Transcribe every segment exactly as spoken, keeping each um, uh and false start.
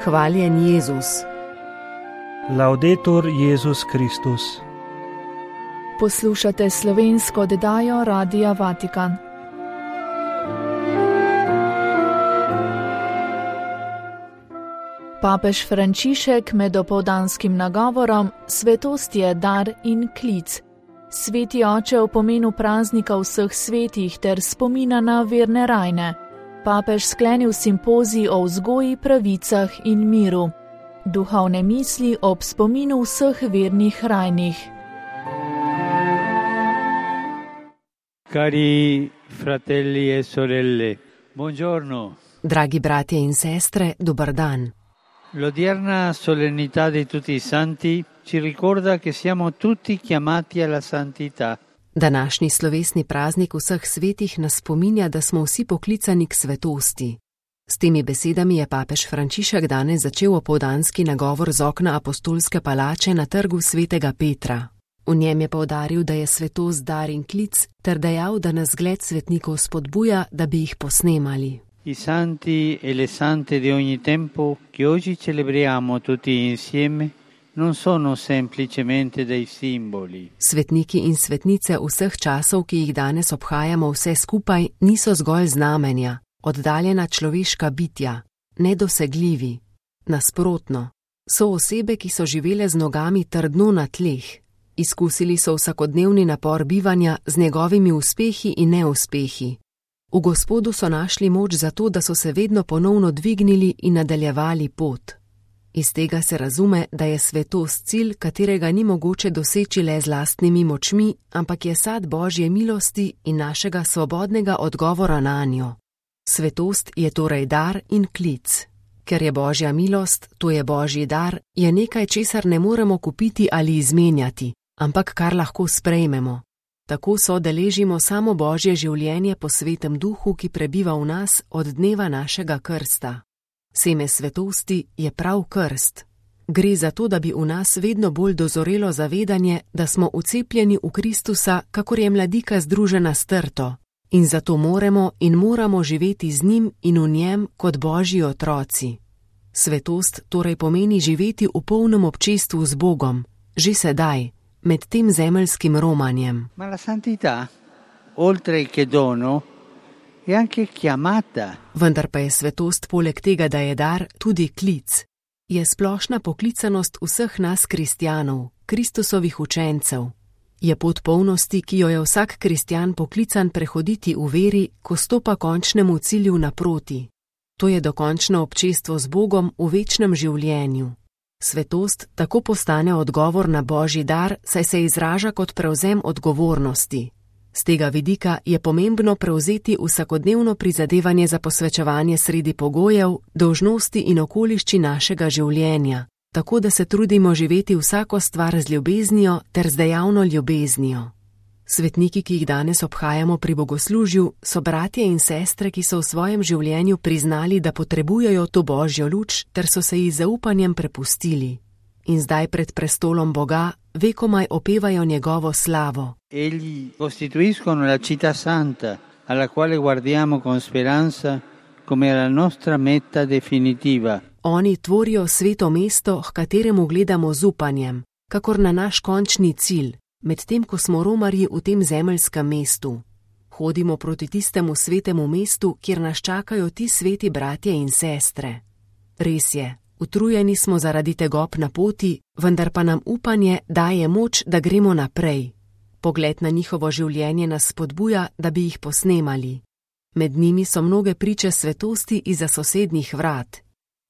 Hvaljen Jezus. Laudetur Jezus Kristus. Poslušate slovensko oddajo Radia Vatikan. Papež Frančišek med opoldanskim nagovorom Svetost je dar in klic. Sveti oče o pomenu praznika vseh svetih ter spomina na verne rajne. Papež sklenil simpozij o vzgoji, pravicah in miru. Duhovne misli ob spominu vseh vernih rajnih. Cari fratelli e sorelle, buongiorno. Dragi bratje in sestre, dober dan. L'odierna solennità di tutti i santi ci ricorda che siamo tutti chiamati alla santità. Današnji slovesni praznik vseh svetih nas spominja, da smo vsi poklicani k svetosti. S temi besedami je papež Frančišek danes začel opoldanski nagovor z okna apostolske palače na trgu svetega Petra. V njem je poudaril, da je svetost dar in klic, ter dejal, da nas zgled svetnikov spodbuja, da bi jih posnemali. I santi e le sante di ogni tempo che oggi celebriamo tutti insieme non sono semplicemente dei simboli. Svetniki in svetnice vseh časov, ki jih danes obhajamo vse skupaj, niso zgolj znamenja, oddaljena človeška bitja, nedosegljivi. Nasprotno, so osebe, ki so živele z nogami trdno na tleh. Izkusili so vsakodnevni napor bivanja z njegovimi uspehi in neuspehi. V Gospodu so našli moč za to, da so se vedno ponovno dvignili in nadaljevali pot. Iz tega se razume, da je svetost cilj, katerega ni mogoče doseči le z lastnimi močmi, ampak je sad Božje milosti in našega svobodnega odgovora nanjo. Svetost je torej dar in klic. Ker je Božja milost, to je Božji dar, je nekaj, česar ne moremo kupiti ali izmenjati, ampak kar lahko sprejmemo. Tako so deležimo samo Božje življenje po svetem duhu, ki prebiva v nas od dneva našega krsta. Seme svetosti je prav krst. Gre za to, da bi v nas vedno bolj dozorelo zavedanje, da smo ucepljeni v Kristusa, kakor je mladika združena s trto. In zato moramo in moramo živeti z njim in v njem kot Božji otroci. Svetost torej pomeni živeti v polnem občestvu z Bogom, že sedaj, med tem zemeljskim romanjem. Ma la santità, oltre che dono, è anche chiamata. Vendar pa je svetost poleg tega, da je dar, tudi klic. Je splošna poklicanost vseh nas kristjanov, Kristusovih učencev. Je pot polnosti, ki jo je vsak kristjan poklican prehoditi v veri, ko stopa končnemu cilju naproti. To je dokončno občestvo z Bogom v večnem življenju. Svetost tako postane odgovor na Božji dar, saj se izraža kot prevzem odgovornosti. Z tega vidika je pomembno prevzeti vsakodnevno prizadevanje za posvečevanje sredi pogojev, dolžnosti in okoliščin našega življenja, tako da se trudimo živeti vsako stvar z ljubeznijo ter z dejavno ljubeznijo. Svetniki, ki jih danes obhajamo pri bogoslužju, so bratje in sestre, ki so v svojem življenju priznali, da potrebujejo to Božjo luč, ter so se ji zaupanjem prepustili. In zdaj pred prestolom Boga vekomaj opevajo njegovo slavo. Egli costituiscono la città santa, alla quale guardiamo con speranza come la nostra meta definitiva. Oni tvorijo sveto mesto, h kateremu gledamo z upanjem, kakor na naš končni cilj, medtem ko smo romarji v tem zemeljskem mestu. Hodimo proti tistemu svetemu mestu, kjer nas čakajo ti sveti bratje in sestre. Res je, utrujeni smo zaradi tegob na poti, vendar pa nam upanje daje moč, da gremo naprej. Pogled na njihovo življenje nas spodbuja, da bi jih posnemali. Med njimi so mnoge priče svetosti izza sosednjih vrat,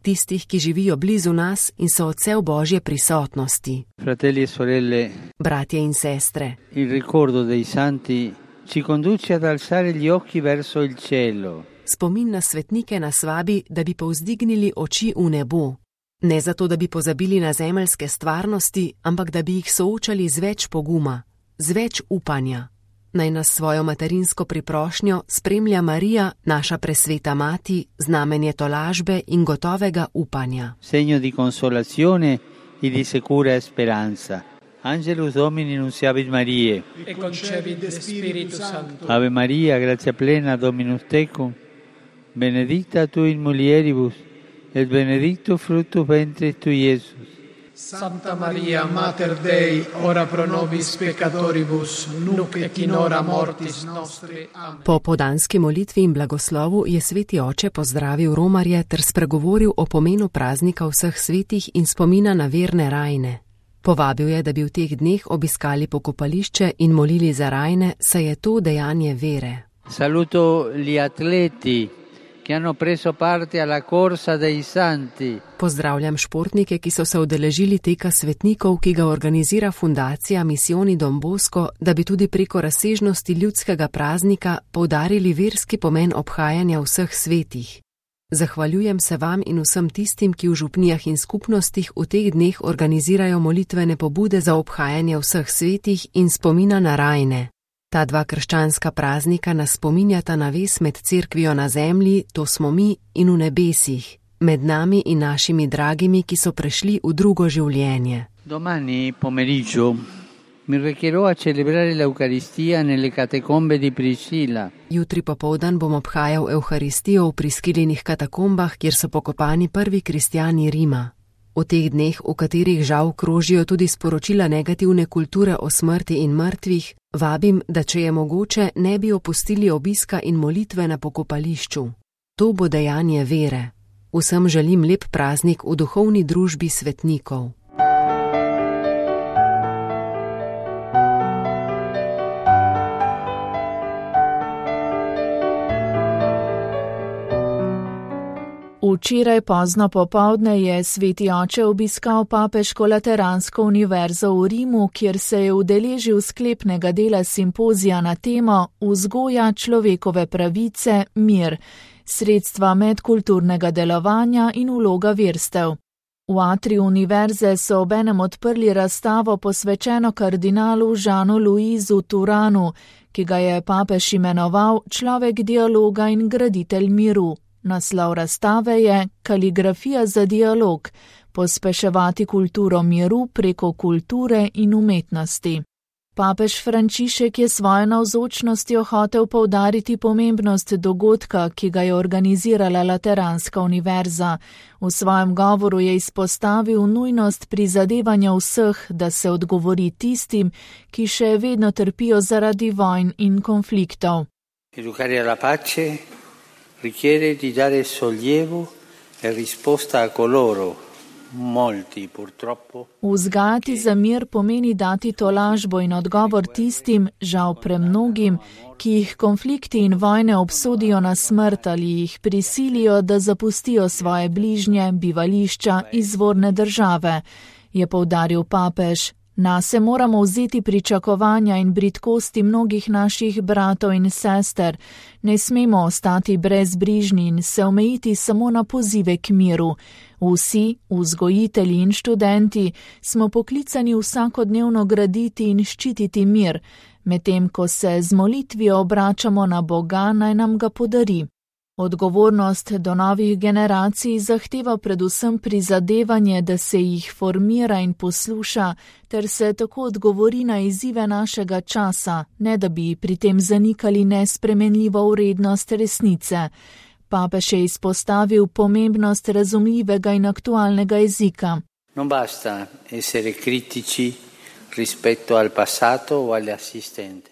tistih, ki živijo blizu nas in so odsev Božje prisotnosti. Fratelli e sorelle, bratje in sestre, il ricordo dei santi ci conduce ad alzare gli occhi verso il cielo. Spomin na svetnike nas vabi, da bi povzdignili oči v nebo. Ne zato, da bi pozabili na zemeljske stvarnosti, ampak da bi jih soočali z več poguma, z več upanja. Naj nas svojo materinsko priprošnjo spremlja Marija, naša presveta mati, znamenje tolažbe in gotovega upanja. Segno di consolazione e di sicura speranza. Angelus Domini nunciavit Mariae. E concepit Spiritu Sancto. Ave Maria, grazia plena, Dominus tecum. Benedicta tu in mulieribus, et benedictus fructus ventris tui, Iesus. Santa Maria, Mater Dei, ora pro nobis peccatoribus, nunc et in hora mortis nostre. Amen. Po podanski molitvi in blagoslovu je sveti oče pozdravil romarje ter spregovoril o pomenu praznika vseh svetih in spomina na verne rajne. Povabil je, da bi v teh dneh obiskali pokopališče in molili za rajne, saj je to dejanje vere. Saluto gli atleti che hanno preso parte alla corsa dei santi. Pozdravljam športnike, ki so se udeležili teka svetnikov, ki ga organizira fundacija Misioni Don Bosco, da bi tudi preko razsežnosti ljudskega praznika poudarili verski pomen obhajanja vseh svetih. Zahvaljujem se vam in vsem tistim, ki v župnijah in skupnostih v teh dneh organizirajo molitvene pobude za obhajanje vseh svetih in spomina na rajne. Ta dva krščanska praznika nas spominjata na vez med cerkvijo na zemlji, to smo mi, in v nebesih, med nami in našimi dragimi, ki so prešli v drugo življenje. Domani pomeriggio mi recherò a celebrare l'Eucaristia nelle catacombe di Priscilla. Jutri popoldan bom obhajal Evharistijo v Priskilinih katakombah, kjer so pokopani prvi kristjani Rima. V teh dneh, v katerih žal krožijo tudi sporočila negativne kulture o smrti in mrtvih, vabim, da če je mogoče, ne bi opustili obiska in molitve na pokopališču. To bo dejanje vere. Vsem želim lep praznik v duhovni družbi svetnikov. Včeraj pozno popovdne je sveti oče obiskal papeško lateransko univerzo v Rimu, kjer se je udeležil sklepnega dela simpozija na temo Vzgoja človekove pravice, mir, sredstva medkulturnega delovanja in vloga verstev. V atriju univerze so obenem odprli razstavo posvečeno kardinalu Žanu Luizu Turanu, ki ga je papež imenoval človek dialoga in graditelj miru. Naslov razstave je Kaligrafija za dialog, pospeševati kulturo miru preko kulture in umetnosti. Papež Frančišek je svojo navzočnostjo hotel poudariti pomembnost dogodka, ki ga je organizirala Lateranska univerza. V svojem govoru je izpostavil nujnost prizadevanja vseh, da se odgovori tistim, ki še vedno trpijo zaradi vojn in konfliktov. Educare alla pace richiede di dare sollievo e risposta a coloro, molti purtroppo. Vzgajati za mir pomeni dati tolažbo in odgovor tistim, žal premnogim, ki jih konflikti in vojne obsodijo na smrt ali jih prisilijo, da zapustijo svoje bližnje, bivališča, izvorne države, je poudaril papež. Nase moramo vzeti pričakovanja in bridkosti mnogih naših bratov in sester. Ne smemo ostati brezbrižni in se omejiti samo na pozive k miru. Vsi, vzgojitelji in študenti, smo poklicani vsakodnevno graditi in ščititi mir, medtem ko se z molitvijo obračamo na Boga, naj nam ga podari. Odgovornost do novih generacij zahteva predvsem prizadevanje, da se jih formira in posluša, ter se tako odgovori na izzive našega časa, ne da bi pri tem zanikali nespremenljivo vrednost resnice. Papež je izpostavil pomembnost razumljivega in aktualnega jezika. Non basta essere critici rispetto al passato o agli assistenti.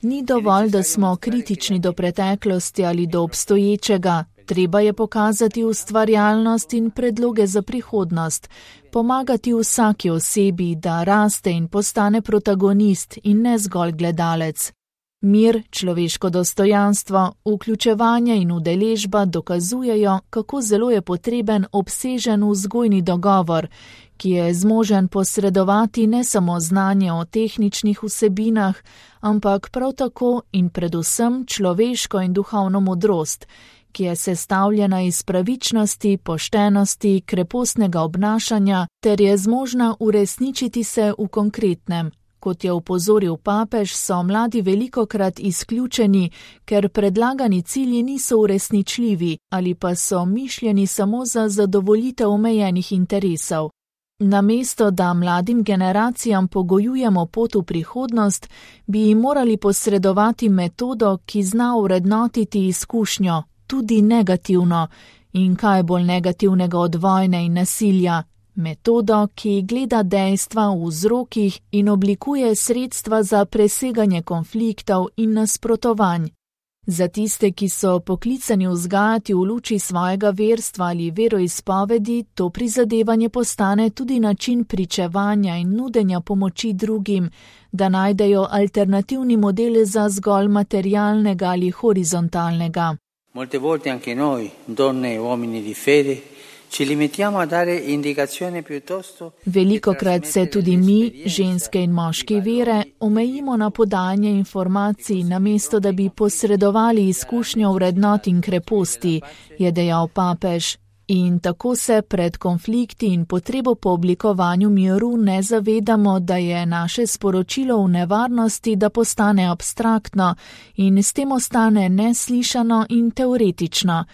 Ni dovolj, da smo kritični do preteklosti ali do obstoječega. Treba je pokazati ustvarjalnost in predloge za prihodnost, pomagati vsaki osebi, da raste in postane protagonist in ne zgolj gledalec. Mir, človeško dostojanstvo, vključevanje in udeležba dokazujejo, kako zelo je potreben obsežen vzgojni dogovor, ki je zmožen posredovati ne samo znanje o tehničnih vsebinah, ampak prav tako in predvsem človeško in duhovno modrost, ki je sestavljena iz pravičnosti, poštenosti, krepostnega obnašanja ter je zmožna uresničiti se v konkretnem. Kot je upozoril papež, so mladi velikokrat izključeni, ker predlagani cilji niso uresničljivi ali pa so mišljeni samo za zadovoljitev omejenih interesov. Namesto da mladim generacijam pogojujemo pot v prihodnost, bi jim morali posredovati metodo, ki zna vrednotiti izkušnjo, tudi negativno, In kaj bolj negativnega od vojne in nasilja? Metodo, ki gleda dejstva v vzrokih in oblikuje sredstva za preseganje konfliktov in nasprotovanj. Za tiste, ki so poklicani vzgajati v luči svojega verstva ali veroizpovedi, to prizadevanje postane tudi način pričevanja in nudenja pomoči drugim, da najdejo alternativni model za zgolj materialnega ali horizontalnega. Molte volte anche noi, donne e uomini di fede, ci limitiamo a dare indicazioni piuttosto. Velikokrat se tudi mi, ženske in moški vere, omejimo na podajanje informacij, namesto da bi posredovali izkušnjo vrednot in kreposti, je dejal papež. In tako se pred konflikti in potrebo po oblikovanju miru ne zavedamo, da je naše sporočilo v nevarnosti, da postane abstraktno in s tem ostane neslišano in teoretično,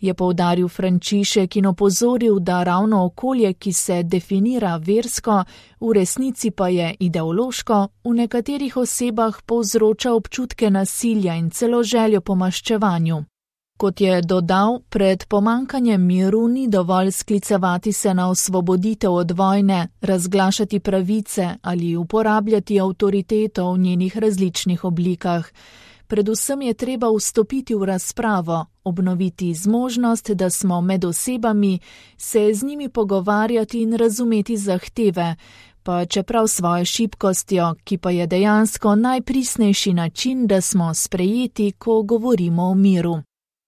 je poudaril Frančišek in opozoril, da ravno okolje, ki se definira versko, v resnici pa je ideološko, v nekaterih osebah povzroča občutke nasilja in celo željo po maščevanju. Kot je dodal, pred pomankanjem miru ni dovolj sklicevati se na osvoboditev od vojne, razglašati pravice ali uporabljati avtoriteto v njenih različnih oblikah. Predvsem je treba vstopiti v razpravo, obnoviti zmožnost, da smo med osebami, se z njimi pogovarjati in razumeti zahteve, pa čeprav svojo šibkostjo, ki pa je dejansko najpristnejši način, da smo sprejeti, ko govorimo o miru.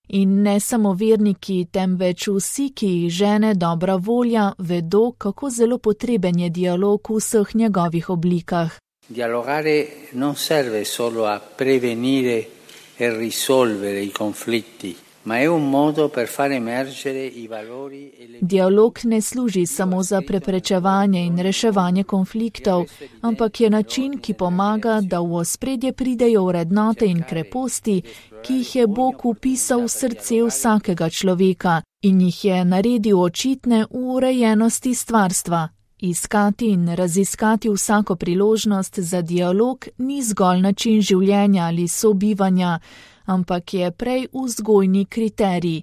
In ne samo verniki, temveč vsi, ki jih žene dobra volja, vedo, kako zelo potreben je dialog v vseh njegovih oblikah. Dialogare non serve solo a prevenire e risolvere i conflitti, ma è un modo per far emergere i valori e le... Dialog ne služi samo za preprečevanje in reševanje konfliktov, ampak je način, ki pomaga, da v ospredje pridejo vrednote in kreposti, ki jih je Bog vpisal v srce vsakega človeka in jih je naredil očitne v urejenosti stvarstva. Iskati in raziskati vsako priložnost za dialog ni zgolj način življenja ali sobivanja, ampak je prej vzgojni kriterij.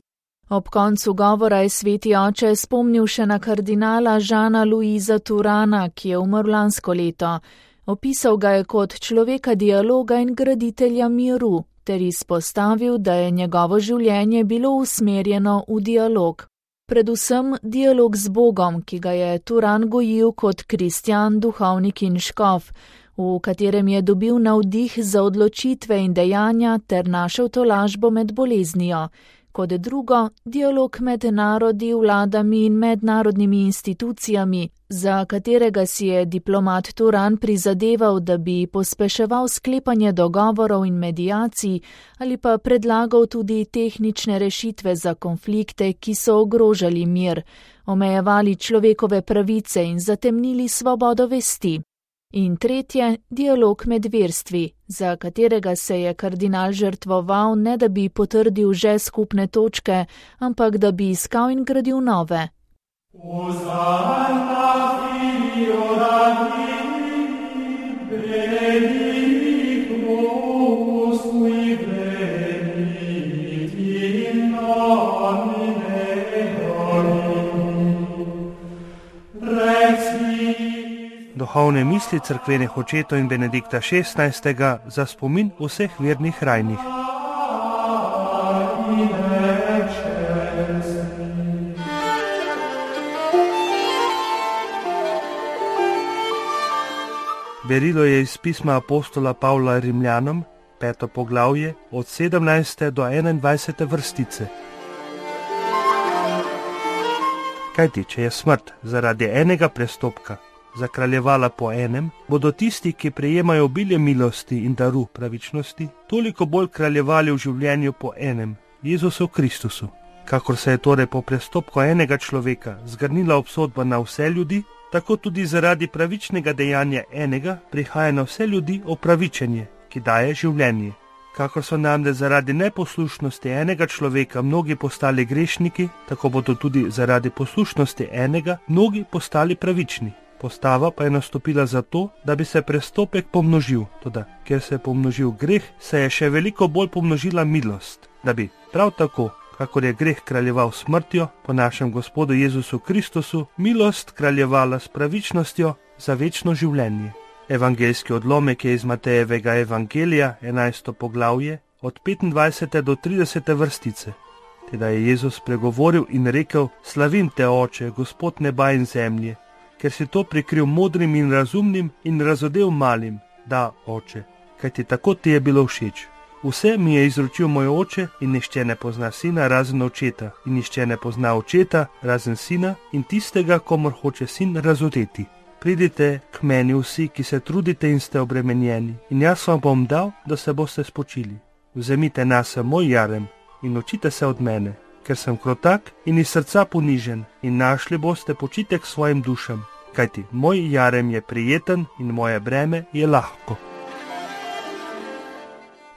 Ob koncu govora je sveti oče spomnil še na kardinala Žana Luisa Turana, ki je umrl lansko leto. Opisal ga je kot človeka dialoga in graditelja miru, ter izpostavil, da je njegovo življenje bilo usmerjeno v dialog. Predvsem dialog z Bogom, ki ga je Turan gojil kot kristjan, duhovnik in škof, v katerem je dobil navdih za odločitve in dejanja ter našel tolažbo med boleznijo. Kot drugo, dialog med narodi, vladami in mednarodnimi institucijami, za katerega si je diplomat Turan prizadeval, da bi pospeševal sklepanje dogovorov in medijacij ali pa predlagal tudi tehnične rešitve za konflikte, ki so ogrožali mir, omejevali človekove pravice in zatemnili svobodo vesti. In tretje, dialog med verstvi, za katerega se je kardinal žrtvoval, ne da bi potrdil že skupne točke, ampak da bi iskal in gradil nove. Duhovne misli cerkvenih očetov in Benedikta šestnajstega za spomin vseh vernih rajnih. Berilo je iz pisma apostola Pavla Rimljanom, peto poglavje, od sedemnajste do enaindvajsete vrstice. Kajti, če je smrt zaradi enega prestopka zakraljevala po enem, bodo tisti, ki prejemajo obilje milosti in daru pravičnosti, toliko bolj kraljevali v življenju po enem, Jezusu Kristusu. Kakor se je torej po prestopku enega človeka zgrnila obsodba na vse ljudi, tako tudi zaradi pravičnega dejanja enega prihaja na vse ljudi opravičenje, ki daje življenje. Kakor so namreč zaradi neposlušnosti enega človeka mnogi postali grešniki, tako bodo tudi zaradi poslušnosti enega mnogi postali pravični. Postava pa je nastopila zato, da bi se prestopek pomnožil, toda ker se je pomnožil greh, se je še veliko bolj pomnožila milost, da bi prav tako, kakor je greh kraljeval smrtjo, po našem Gospodu Jezusu Kristusu, milost kraljevala s pravičnostjo za večno življenje. Evangeljski odlomek je iz Matejevega evangelija, enajsto poglavje, od petindvajsete do tridesete vrstice. Teda je Jezus pregovoril in rekel: Slavim te, Oče, Gospod neba in zemlje, ker si to prikril modrim in razumnim in razodel malim. Da, Oče, kajti tako ti je bilo všeč. Vse mi je izročil moj Oče in nihče ne pozna sina razen očeta in nihče ne pozna očeta razen sina in tistega, komor hoče sin razodeti. Pridite k meni vsi, ki se trudite in ste obremenjeni, in jaz vam bom dal, da se boste spočili. Vzemite nase moj jarem in učite se od mene, ker sem krotak in iz srca ponižen, in našli boste počitek svojim dušam, kajti moj jarem je prijeten in moje breme je lahko.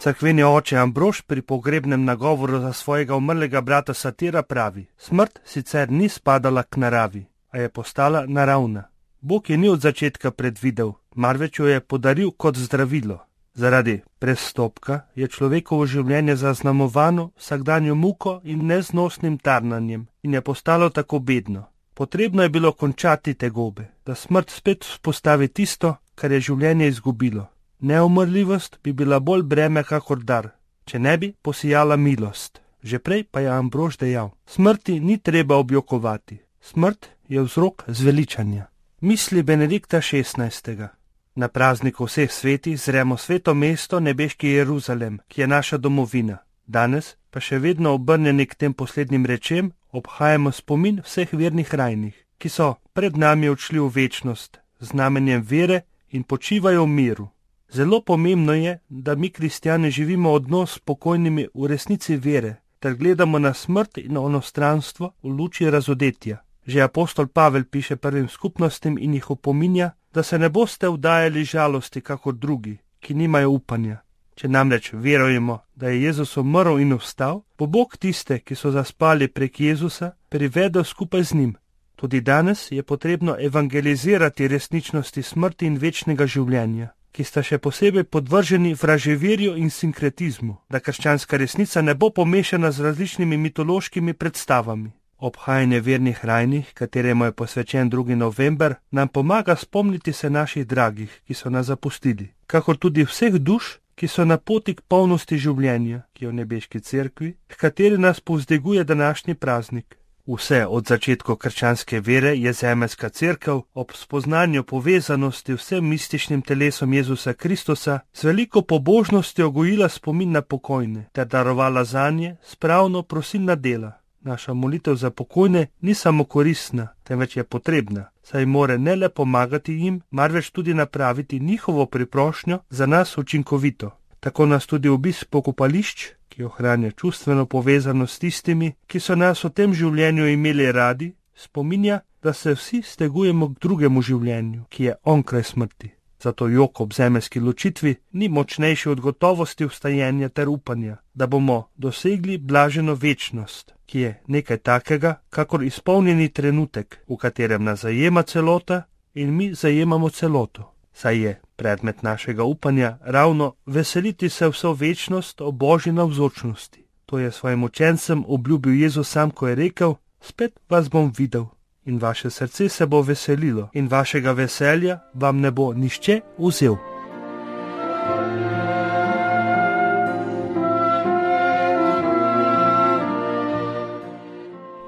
Cerkveni oče Ambrož pri pogrebnem nagovoru za svojega umrlega brata Satira pravi: Smrt sicer ni spadala k naravi, a je postala naravna. Bog je ni od začetka predvidel, marveč jo je podaril kot zdravilo. Zaradi prestopka je človekovo življenje zaznamovano vsakdanjo muko in neznosnim tarnanjem in je postalo tako bedno. Potrebno je bilo končati tegobe, da smrt spet vzpostavi tisto, kar je življenje izgubilo. Neumrljivost bi bila bolj breme kakor dar, če ne bi posijala milost. Že prej pa je Ambrož dejal: Smrti ni treba objokovati, smrt je vzrok zveličanja. Misli Benedikta šestnajstega. Na prazniku vseh svetih zremo sveto mesto, nebeški Jeruzalem, ki je naša domovina. Danes pa še vedno obrnjeni k tem poslednjim rečem obhajamo spomin vseh vernih rajnih, ki so pred nami odšli v večnost z znamenjem vere in počivajo v miru. Zelo pomembno je, da mi kristjani živimo odnos s pokojnimi v resnici vere, ter gledamo na smrt in onostranstvo v luči razodetja. Že apostol Pavel piše prvim skupnostim in jih opominja, da se ne boste vdajali žalosti kakor drugi, ki nimajo upanja. Če namreč verujemo, da je Jezus umrl in vstal, bo Bog tiste, ki so zaspali prek Jezusa, privedel skupaj z njim. Tudi danes je potrebno evangelizirati resničnosti smrti in večnega življenja, ki sta še posebej podvrženi vraževerju in sinkretizmu, da krščanska resnica ne bo pomešana z različnimi mitološkimi predstavami. Obhajanje vernih rajnih, kateremu je posvečen drugi november, nam pomaga spomniti se naših dragih, ki so nas zapustili, kakor tudi vseh duš, ki so na poti k polnosti življenja, ki je v nebeški cerkvi, h kateri nas povzdiguje današnji praznik. Vse od začetkov krščanske vere je zemeljska cerkev ob spoznanju povezanosti vsem mističnim telesom Jezusa Kristusa z veliko pobožnostjo gojila spomin na pokojne ter darovala zanje spravno prosilna dela. Naša molitev za pokojne ni samo koristna, temveč je potrebna, saj more ne le pomagati jim, marveč tudi napraviti njihovo priprošnjo za nas učinkovito. Tako nas tudi obisk pokopališč, ki ohranja čustveno povezanost s tistimi, ki so nas v tem življenju imeli radi, spominja, da se vsi stegujemo k drugemu življenju, ki je onkraj smrti. Zato jok ob zemeljski ločitvi ni močnejši od gotovosti vstajenja ter upanja, da bomo dosegli blaženo večnost, ki je nekaj takega, kakor izpolnjeni trenutek, v katerem nas zajema celota in mi zajemamo celoto. Saj je predmet našega upanja ravno veseliti se vso večnost o Božji navzočnosti. To je svojim učencem obljubil Jezus sam, ko je rekel: Spet vas bom videl. In vaše srce se bo veselilo in vašega veselja vam ne bo nihče vzel.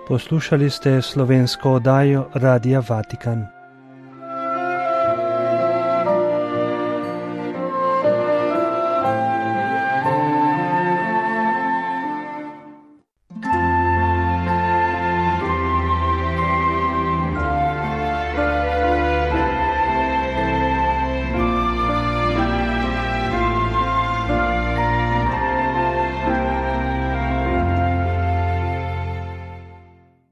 Poslušali ste slovensko oddajo Radia Vatikan.